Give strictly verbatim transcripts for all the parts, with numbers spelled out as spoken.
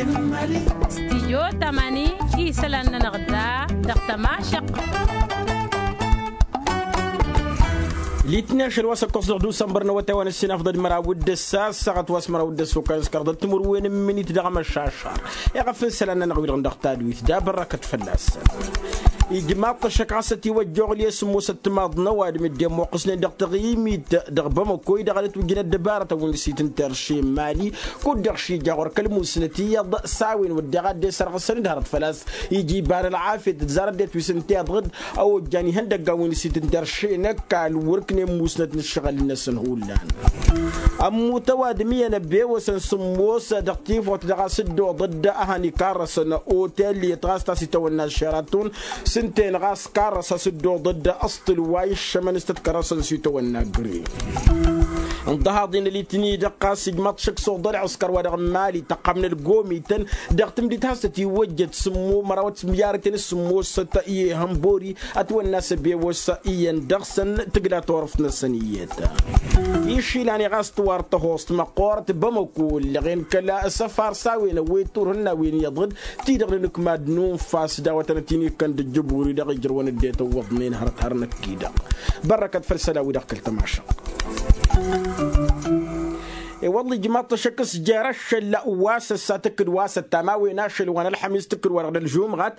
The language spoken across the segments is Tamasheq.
Stijyo tamani isălan-nănăɣ da dăɣ-tămašăq. Litni ašăl wa s-ăkkoẓ dăɣ-dusănbăr n-awătay wa n-ǝssin afḍăd măraw d-ǝssa ăssaɣăt wa s-măraw d-ǝssa okăl s-kărdăt timǝrwen n-imǝnit dăɣ-amăšašar. Iɣăf n-isălan-nănăɣ-wi-dăɣ dăɣ-tadwit da bărrăkăt fălla-săn. Ijmaḍ-t ăššăk ɣas ătiwăjja oɣli i-sǝmmosăt timaḍ n-ăwadǝm dd-immăqqǝsnen dăɣ-taɣimit dăɣ-bamăko-i-dăɣ ad-ǝtwǝjjǝn ăddăbarătăn wi n-ǝssitǝnter šin mali. Kud-dăɣ šija ɣur-kăl-musnă tiyyăḍ s-a-wen wădden ad-dd-esărɣǝsăn d-hărăt făl-a-s ija iba n-ălɣafyăt d-zarăt d-etwisǝnteḍ d-a ojjan ihăndăggan wi n-ǝssitǝnter šin ăkall wăr-ǝknen musnăt n-ǝššăɣǝl-năsăn hullan. Ămmut ăwadǝm iyyăn ăbewăsăn sǝmmos dăɣ-tifot dăɣ-a-s dd-oḍăd a han-ikarrăsăn otel-i ătɣas ta s-itawănna šeraton s-ǝnta-en ɣas karrăs a-s dd-oḍăd ăṣṭǝl wa iššămăn s-tăt-kărrăsăn s-itawănna gre. Ǝnḍăhaḍ-in ălitni-dăɣ ɣas ijmaḍ šăkk s-oḍăl ăskăr wa dăɣ-mali tăqqam n-ălgomităn dăɣ-tǝmdit has-tăt-iwwăjjăt sǝmmo mărawăt s-miyarăten s-sǝmmosăt i-ehăn bori ătwănna s-ăbewăs iyyăn dăɣ-săn tǝgla turăft-năsăn iyyăt. Išilan i-ɣas tǝwar tăhost măqqoorăt bamăko ǝllăɣen kăla s-ăfar s-a-wen ăwwet turhǝnna wi n-iyyăḍ d-ti-dăɣ n-inǝkmad n-unfas d-a-wa tănăt-in-ikkăn d-ǝjjǝburi dăɣ-ijrăwăn dd-etăwwăḍnen hărăt har năkk-i-dăɣ. Bărrăkăt făll-isălan-wi-dăɣ kăl-tămašăɣt. I-wălla ijmaḍ-t ăššăk s-jer-ašăl wa s-ăssa tǝkkǝd wa s-ăttam a-wen ašăl wa n-ălxămis tǝkkǝd wa dăɣ-nălžumɣat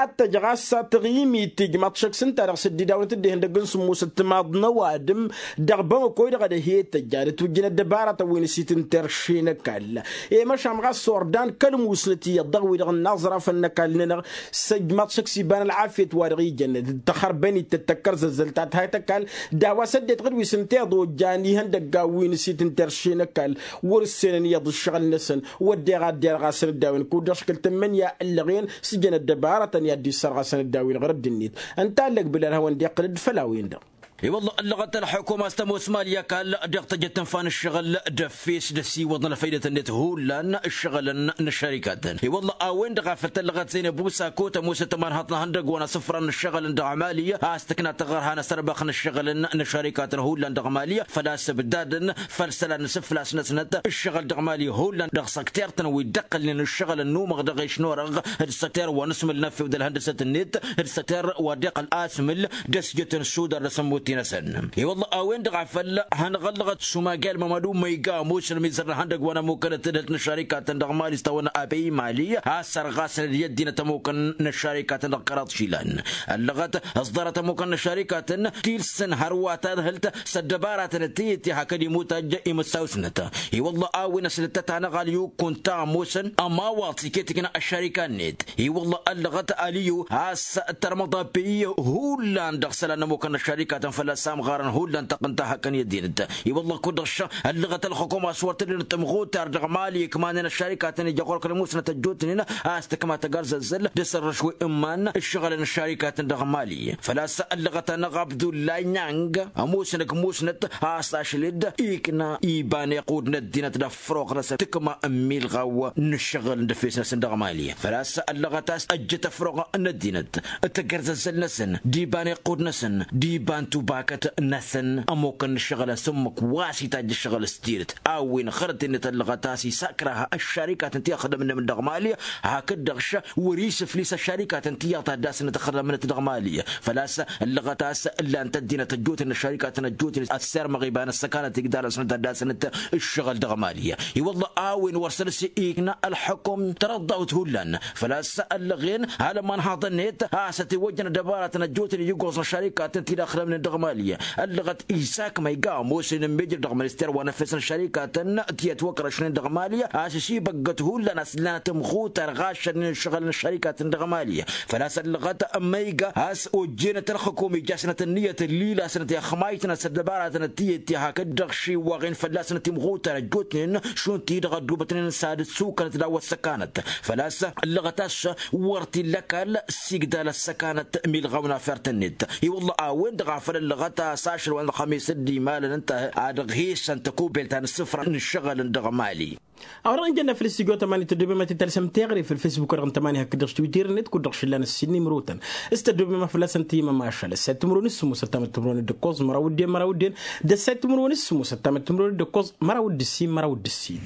ad-t-tăj ɣas taɣimit ijmaḍ-t ăššăk s-ǝnta dăɣ-săddidawăn tǝddehăn dăgg-n sǝmmosăt timaḍ n-ăwadǝm dăɣ-bamăko-i-dăɣ ad-ăhiyăt tăjja ad-ătwǝjjǝn ăddăbarătăn wi n-ǝssitǝnter šin ăkall. I-măšan ɣas ordan kăl-musnăt iyyăḍ dăɣ-wi-dăɣ n-inaẓrafăn n-ăkall-nănăɣ s-ijmaḍ-t šăkk s-iba n-ălɣafyăt wa dăɣ-ijănnăt d-tăxărbănit d-tăkkărzăzzălt ta tǝhayt ăkall d-a-wa s-ăddinăt ɣǝd wi s-ǝnta iḍojjan ihăndăggan wi n-ǝssitǝnter šin ăkall wăr-ǝssenăn iyyăḍ ǝššăɣǝl-năsăn. Wădden ad-derɣasăn d-a-wen kud-dăɣ škǝl tǝmmǝnǝya ǝllăɣen s-jăn ăddăbarătăn i-ad-dd-issărɣasăn d-a-wen ɣur-ăddinit. Ǝnta ăllăg bǝlal hawăn-dd-iqqǝl d-făll-a-wen-dăɣ. I-wălla ăllăɣăt ălxukum a-s tămoos mali ăkall dăɣ-tăjăt tǝnfa n-ǝššăɣǝl d-efes d-ăsiwăḍ n-ălfăydăt-net hullan ǝššăɣǝlăn n-ăššărikatăn. I-wălla a-wen-dăɣ a făl tăllăɣăt zăynăb usako tămoosăt ămanhăḍ n-ihăndăgg wa n-asǝfran n-ǝššăɣǝlăn dăɣ-mali a-s tǝkna taɣărha n-asărbăx n-ǝššăɣǝlăn n-ăššărikatăn hullan dăɣ-mali făl-a-s ǝbdadăn făll-isălan n-asǝflas-năsnăt ǝššăɣǝl dăɣ-mali hullan dăɣ-săktert-tăn wi dd-ăqqălnen ǝššăɣǝl ănnumăɣ dăɣ-ešnorăɣ d-săkter wa n-asmǝl n-efew d-ălhăndăsăt-net d-săkter wa dd-iqqăl asmǝl d-ăsjăt n-sudar d-asămmut-i-năsăn. I-wălla a-wen-dăɣ a făl hănɣăllăɣăt sumagel mămădu măyga ămoosăn ămizăr n-ihăndăgg wa n-ămmukăn ăttădhăt n-ăššărikatăn dăɣ-mali s-tawănna apey mali a sărɣasăn d-i ăddinăt ămmukăn n-ăššărikatăn dăɣ-kăraḍ išilan. Ăllăɣăt ăẓḍarăt ămmukăn n-ăššărikatăn tilsăn hărwa tadhǝlt s-ăddăbaratăn d-tiyǝtte hakd imutaj imǝssawsnăt. I-wălla a-wen ăslăttăt anăɣal i-ukkunta ămoosăn ămawaḍ s-iket ikna ăššărika-net. I-wălla ăllăɣăt aliyu a-s tărmăḍ apey hullan dăɣ-isălan n-ămmukăn n-ăššărikatăn fălla-s amɣarăn hullan tăqqǝnta hakăn i-ăddinăt. I-wălla kud-dăɣ ăllăɣăt ălxukum a-s wăr tǝdden tămɣutar dăɣ-mali ikmanen ăššărikatăn ija ɣur-kăl-musnăt ăjjootnen a-s tǝkma tăgarzăzzăl d-asărrăš wi ǝmman ǝššăɣǝlăn ăššărikatăn dăɣ-mali. Făl-a-s ăllăɣăt-anăɣ abdullay nang ămoosăn ǝkmusnăt a-s ašăl-dd ikna iba n-iqqud n-ăddinăt d-ăfroɣ-năsăn tǝkma n-milɣaw n-ǝššăɣǝl d-efes-năsăn dăɣ-mali. Făl-a-s ăllăɣăt a-s ăjjăt ăfroɣ n-ăddinăt d-tagărẓăzzăl-năsăn d-iba n-iqqud-năsăn d-iba n-tubakăt-năsăn ămmukăn n-ǝššăɣǝlăn s-ǝmmǝk wa s-itajj ǝššăɣǝl s-tidǝt. A-wen ɣărăt-net ăllăɣăt a-s isakrăh ăššărikatăn ti ăxdămnăm dăɣ-mali hakd-dăɣ š-wăr-isǝflis ăššărikatăn tiyyăḍ ta dd-asnăt ăxdămnăt dăɣ-mali. Făl-a-s ăllăɣăt a-s ǝllan-t ăddinăt ăjjootnen ăššărikatăn ăjjootnen ăssirmăɣ iba n-ăssăkanăt igdal-asnăt ad-dd-asnăt ǝššăɣǝl dăɣ-mali. I-wălla a-wen wăr săr-s ikna ălxukum tărăḍḍawt hullan. Făl-a-s ăllăɣen alămman haḍăn-net a-s ătiwăjjăn ăddăbaratăn ăjjootnen iguẓ n-ăššărikatăn ti dd-ăxdămnen dăɣ-mali. Ăllăɣăt isak ma iga ămoosnen ămmijrăd dăɣ-minister wa n-efes n-ăššărikatăn ti ătwăkrăšnen dăɣ-mali a-s ăsibăggăt hullan a-s ǝllanăt ǝmɣutar ɣašădnen ǝššăɣǝl n-ăššărikatăn dăɣ-mali. Făl-a-s ăllăɣăt ma iga a-s ojjenăt ălxukum ijasnăt ǝnniyăt ǝllilasnăt i-ăxmaytnăt s-ăddăbaratăn d-tiyǝtte hakd-dăɣ šiwwaɣen fălla-snăt imɣutar ăjjootnen šund-ti-dăɣ ăddubătnen s-ad-dd-sukănăt d-a-wa ăssăkanăt. Făl-a-s ăllăɣăt a-s wăr t-illa ăkall s-igdal ăssăkanăt milɣaw n-afert-net. I-wălla a-wen-dăɣ a făl ăllăɣăt a-s ašăl wa n-ălxămis dd-imalăn ǝnta ad-ăɣhesăn tăkubelt ta n-ǝssǝfra n-ǝššăɣǝlăn dăɣ-mali. A-wa-dăɣ ǝnjănna făll-stujo tămani tăddobem ad-t-tălsăm teɣăre făll-fesbuk-wa-dăɣ n-tămani hakd-dăɣ s-twitter-net kud-dăɣ šǝllan ǝssin n-imrotăn s-tăddobem a fălla-săn tǝyyǝmăm ašăl ăssayăt timǝrwen s-sǝmmos ăttamăt timǝrwen d-ǝkkoẓ măraw d-en măraw d-en d-ăssayăt timǝrwen s-sǝmmos ăttamăt timǝrwen d-ǝkkoẓ măraw d-ǝssin măraw d-ǝssin.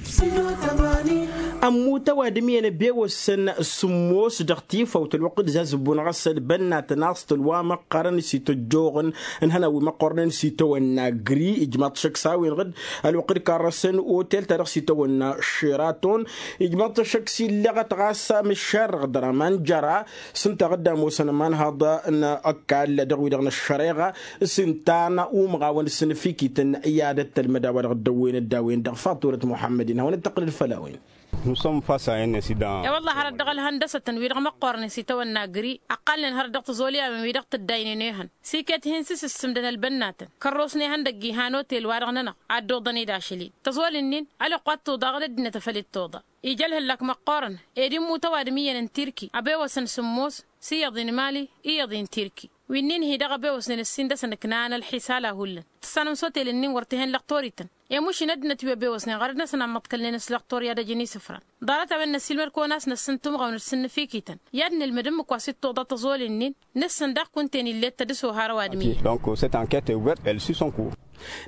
Ămmut ăwadǝm iyyăn ăbewăsăn sǝmmos dăɣ-tifawt ălwăqq d-zazǝbbun ɣas ălbănnatăn a-s tălwa măqqărăn s-ităjjoɣăn ǝnhănăn wi măqqornen s-itawănna gri ijmaḍ-t šăkk s-a-wen-dăɣ ălwăqq d-karrăsăn otel-ta-dăɣ s-itawănna šeraton. Ijmaḍ-t šăkk s-illăɣăt ɣas amǝššar dăɣ-dăraman jăra s-ǝnta ɣǝdda ămoosăn ămanhăḍ n-ăkall dăɣ-wi-dăɣ n-ăššăreɣa s-ǝnta n-umɣawăn s-inǝfikităn i-ad-ăttălmăd a-wa-dăɣ dd-ăwwen dd-a-wen-dăɣ faḍulăt muḥămmăd-in hawăn-dd-tăqqǝlăd făll-a-wen. Nusăm fas a-wen-net idăɣ. I-wălla hărăt dăɣ-ălhăndăsătăn wi-dăɣ măqqornen s-itawănna gri ăqqalnen hărăt dăɣ-tiẓolyawen wi-dăɣ tǝddaynen ehăn s-iket hin-sǝsǝssǝmdăn ălbănnatăn kărrosnen ihăndăgg ihan otel-wa-dăɣ-nănăɣ ad-dd-oḍăn-dd ašăl-in tăẓol-ǝnnin ălwăqq wa t-tuḍa ɣǝd ăddinăt a făl ittuḍa. Ija ălhăllak măqqoorăn ed immut ăwadǝm iyyăn n-tirki ăbewăsăn sǝmmos s-iyyăḍ i-inmali iyyăḍ i-intirki wi-nin-hi-dăɣ ăbewăsnen ǝssin dăɣ-săn ǝknan ălḥisal a hullan tǝssanăm s-otel-ǝnnin wăr t-hen lăqtor-ităn. Emušin ăddinăt wi ăbewăsnen ɣărăt-năsăn a ǝmmăḍkălnen s-lăqtor i-ad-ăjăn isǝfran ḍarăt-a-wen năssiilmăd-kăwăn a-s năssǝn tumɣawăn d-sǝnnǝfikităn i-ad-nǝlmǝd ǝmmǝk wa s-ittuḍa tăẓol-ǝnnin. Nǝssǝn daɣ kunta-en ill'-e d-tădǝso har ăwadǝm-i. Donc c'est enquête ouverte elle suit son cours.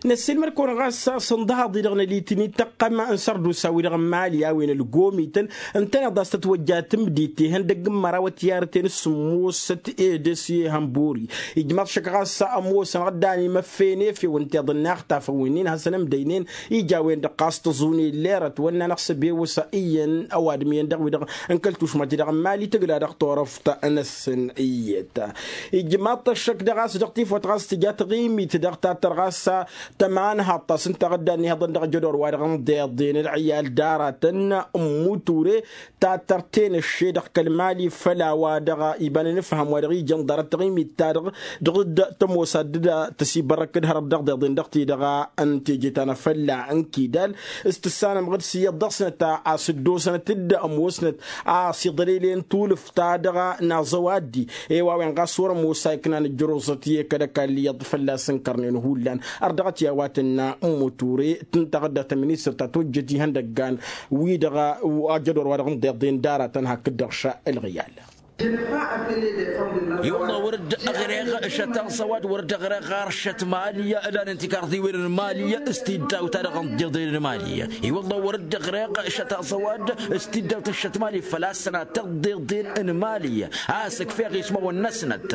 Năssiilmăd-kăwăn ɣas a-s ǝnḍăhaḍ-i-dăɣ n-ălitǝni tăqqăm n-sărdusa-wi-dăɣ n-mali a-wen ălgomităn ǝntăneḍ a-s tătwăjja tǝmdit ihăndăgg n-măraw ătiyarăten s-sǝmmosăt ed s-ihănbori. Ijmaḍ šăkk ɣas ămoosăn ɣǝddan imăffen efew ǝnta iḍǝnna ixtafăn wi-nin hasăn-ǝmdăynen ija a-wen-dăɣ ɣas tăẓune lerăt wănna-năɣ s-ăbewăs iyyăn ăwadǝm iyyăn dăɣ-wi-dăɣ n-kăl-tušma-ti-dăɣ n-mali tǝgla dăɣ-turăft-năsăn iyyăt. Ijmaḍ-t ăššăk dăɣ-a-s dăɣ-tifawt ɣas tǝja taɣimit dăɣ-tattăr ɣas tămanhaḍt ta s-ǝnta ɣǝddan ihăḍăn dăɣ-jădor wa-dăɣ n-iḍeḍen ălɣiyal d-aratăn n-muture tattăr tenăšše dăɣ-kăl-mali făll-a-wa-dăɣ iba n-inǝfhăm wa dăɣ-ija n-ḍarăt taɣimit-ta-dăɣ dăɣ-dd-tămoos ad-dd-tăsibărrăk d-hărăt dăɣ-iḍeḍen dăɣ-ti-dăɣ n-teje ta n-afălla n-kidal. S-tǝssanăm ɣǝd s-iyyăḍ dăɣ-snăt a-s dd-osnăt dd-ămoosnăt a-s iḍălele n-tulǝft ta dăɣ-naẓăw addi. I-wa-wen ɣas wăr-ămoos a iknan ǝjjăroẓăt i-kăl-ăkall iyyăḍ fălla-s ǝnkărnen hullan. Ărdăɣăt i-a-wa tǝnna n-muture tǝntăɣ dd-tăministăr ta tojjăt ihăndăggan wi-dăɣ ajădor wa dăɣ-n deḍen d-aratăn hakd-dăɣ šălɣiyal. I-wălla wăr-dd-ăɣreɣ šătaẓ ăwadǝm wăr-dd-ăɣreɣ ɣar šăt mali ǝlanăn tikarḍiwen n-mali s-tiddaw-ta-dăɣ n-deḍen n-mali. I-wălla wăr-dd-ăɣreɣ šătaẓ ăwadǝm s-tiddaw-ta n-šăt mali făl-a-s sănatăɣ deḍen n-mali. A-s ǝkfeɣ ismawăn-năsnăt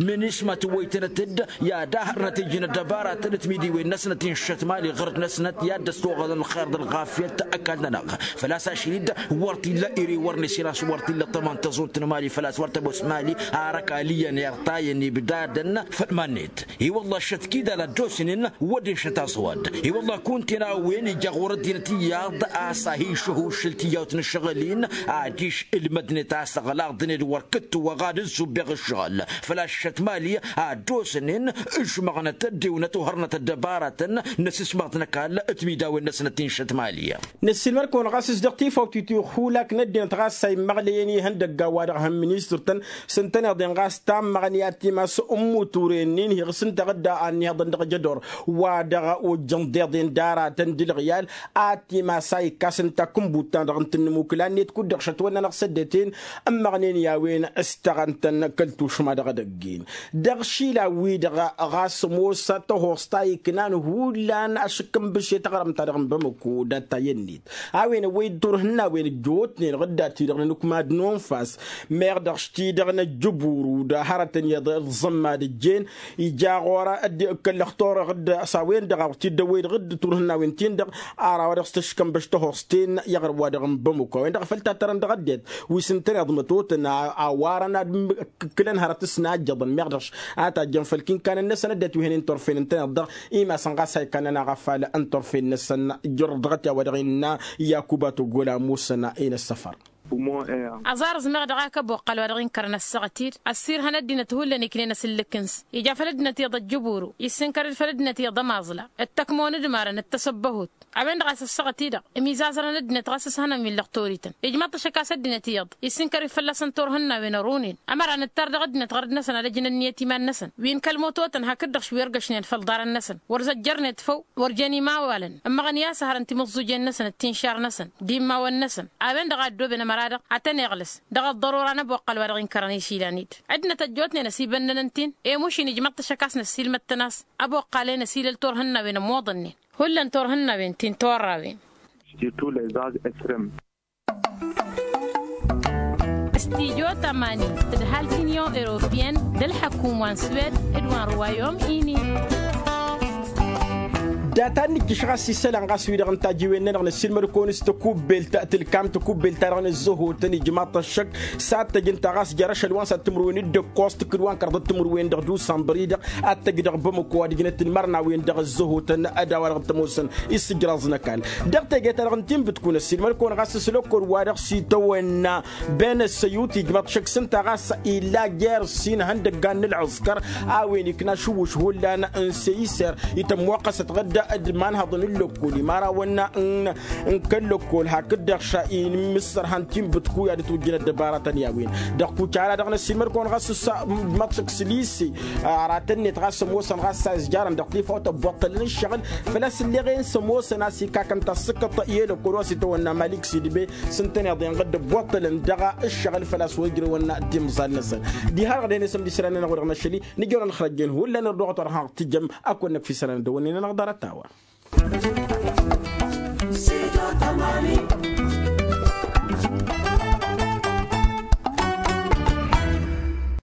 minisma tǝwwăytănăt-dd i-ad-ahărnăt ijnăt dăbaratăn d-timidiwen-năsnăt i-n-šăt mali ɣărăt-năsnăt i-ad-dăs-toɣăḍăn ălxer d-ălɣafyăt ăkall-nănăɣ. Făl-a-s ašăl-dd wăr t-illa ere wăr n-esi n-a-s wăr t-illa tămant tăẓunt n-mali făl-a-s wăr tămoos mali. Ar ăkall iyyăn irtayăn ibdadăn făll-iman-net. I-wălla šăt kidal ad-dd-osnen wădden šăt aẓwad. I-wălla kunta-en a-wen ija ɣur-ăddinăt iyyăḍ a-s ahi išăhuššǝl tiyyawt n-ašăɣǝl-in. Adiš ǝlmădnet a-s ăɣlaḍnen d-wăr kǝttǝwăɣ ad-ǝzzubbeɣ ǝššăɣǝl. Făl-a-s šăt mali ad-dd-osnen ǝžmăɣnăt ăddewnăt ohărnăt ăddăbaratăn n-asǝsmaḍ n-ăkall. Timidawen-năsnăt ti n-šăt mali. Năssiilmăd-kăwăn ɣas s-dăɣ-tifawt itihulak n-ăddinăt ɣas a immăɣlăyăn ihăndăgga wa-dăɣ hăn ministăr-tăn s-ǝntăneḍ-en ɣas tammăɣni ad-timas n-muture-nin hiɣ s-ǝnta ɣǝdda a ănniheḍăn dăɣ-jădor wa dăɣ-ojjăn deḍen d-aratăn d-ǝlɣiyal. Ad-timas a ikkas ǝnta kǝnbut-ta-dăɣ n-tǝnnǝmukǝla-net kud-dăɣ šătwănna n-ăɣsăddăten ǝmmăɣnen i-a-wen s-tăɣăn-tăn kăl-tušma dăɣ-edăgg-in. Dăɣ-išilan-wi-dăɣ ɣas ămoos tăhost ta iknan hullan ašǝkkǝnbǝše taɣrămt-ta-dăɣ n-bamăko dat-ta i-ănnit a-wen ăwwăy-dd turhǝnnawen ăjjootnen ɣǝdda-ti-dăɣ n-anǝkmad n-unfas. Meɣ dăɣ-s-ti-dăɣ n-ăjjǝburu d-hărătăn iyyăḍ iẓẓămmad ǝjjen ija ɣur-ădd kăl-lăxtor ɣǝdd s-a-wen-dăɣ a wăr t-dd-ăwwăy-dd ɣǝdd turhǝnnawen-tin-dăɣ. Ar a-wa dăɣ-s tǝškănbăš tăhost-ten i-aɣrǝm-wa-dăɣ n-bamăko a-wen-dăɣ a făl tattărăn dăɣ-ăddinăt wi s-ǝntăneḍ mătotăn a warăn ad-kǝlăn hărăt s-najjăḍăn meɣ dăɣ-s a tajjăn făll-kinkanăn-năsăn ăddinăt wi hănen turfen ǝntăneḍ-dăɣ. Imasăn ɣas a ikannăn-aɣ afal n-turfen-năsăn. Jăr-dăɣ-t i-a-wa dăɣ-innă yakuba togol a musăn i-năssăfăr. Aẓarǝẓ meɣ dăɣ-ak ăboqqal wa dăɣ-inkărăn ăssaɣăt-dd ăssirhăn ăddinăt hullan iknen asǝllǝk-nǝs ija făll-ăddinăt iyyăḍ ăjjǝburu issǝnkăr-dd făll-ăddinăt iyyăḍ ămaẓla d-tăkmon d-imarăn d-tasăbbăhut. A-wen-dăɣ a-s ăssaɣăt-i-dăɣ ămizazărăn ăddinăt ɣas s-hănăn wi n-lăqtor-ităn ijmaḍ-t ăššăk a-s ăddinăt iyyăḍ issǝnkăr-dd fălla-săn turhǝnnawen ărun-en. Ămăra nǝttar dăɣ-ăddinăt ɣărăt-năsăn ad-ăjnăn ǝnniyăt iman-năsăn wi n-kăl-mototăn hakd-dăɣ š-wi ărgăšnen făll-iḍarăn-năsăn wăr zăjjărnet făw. Wăr jen imawalăn ǝmmăɣăn i-a-s hărăn timǝẓẓujen-năsăn d-tinšar-năsăn d-immawăn-năsăn. A-wen-dăɣ a ăddooben ămăra-dăɣ ad-tăn-iɣlǝs dăɣ-ăḍḍărora n-ăboqqăl wa dăɣ-inkărăn išilan-dd. Ăddinăt ăjjootnen ăsibănnăn ǝnta-in i-mušin ijmăḍ-t ašăk a-s năssiilmăd-tăn a-s ăboqqal-en ăsilăl turhǝnnawen ămmoḍănnen hullan turhǝnnawen ti n-turrawen. Surtout les âges extrêmes. Tijo tămani d-ǝhal ti unyon europeyăn d-ălḥăkum wa n-swed d-wa n-ruwayom-ini. Data n-nǝjjǝš ɣas isălan ɣas-wi-dăɣ n-tajiwen-nănăɣ năssiilmăd-kăwăn s-takubbelt tǝlkam takubbelt-ta-dăɣ n-ăzzăhotăn ijmaḍ-t ăššăk. S-ad-tăj ǝnta ɣas jer-ašăl wa n-sat timǝrwen d-ǝkkoẓ tǝkkǝd wa n-kărḍăt timǝrwen dăɣ-dusănbăr-i-dăɣ ad-tăj dăɣ-bamăko ad-ǝjnăt ălmărnawen dăɣ-ăzzăhotăn. D-a-wa-dăɣ t-ămoosăn isǝjraẓ n-ăkall dăɣ-teje-ta-dăɣ n-tinbǝtkun ăssiilmăd-kăwăn ɣas s-lăkkol-wa-dăɣ s-itawănna ben ăssăyut ijmaḍ-t šăkk s-ǝnta ɣas illa jer-ǝssin ihăndăggan n-ǝlɣǝskăr a-wen ikna ašǝwwǝš hullan n-seyiser itămmoqqăsăt ɣǝdda d-imanhăḍăn n-lăkkol imarawăn n-kăl-lăkkol hakd-dăɣ ša inǝmmǝssărhăn tinbǝtku i-ad-ǝtwǝjjǝn ăddăbaratăn i-a-wen. Dăɣ-kucala-dăɣ n-ăssiilmăd-kăwăn ɣas s-ămmaḍ šăkk s-lise aratăn-net ɣas ămoosăn ɣas a izjarăn dăɣ-tifawt ăbboṭṭălăn ǝššăɣǝl făl-a-s ǝlleɣ-en s-ămoosăn a-s ikakăn tassǝkkăḍt i-lăkkol wa s-itawănna malik sidbe s-ǝntăneḍ-en ɣǝdd ăbboṭṭălăn dăɣ-ǝššăɣǝl făl-a-s wa ijrăwăn d-imẓal-năsăn. Diha-dăɣ dăɣ-e-năsăm d-isălan-nănăɣ wi-dăɣ năššăl-i nǝjăwăn ălxărăjjen hullan ărdăɣăt wa dăɣ-hanăɣ-tǝjjăm. Ad-kăwăn-năkf isălan d-ăwănne-nănăɣ ḍarăt a-wa.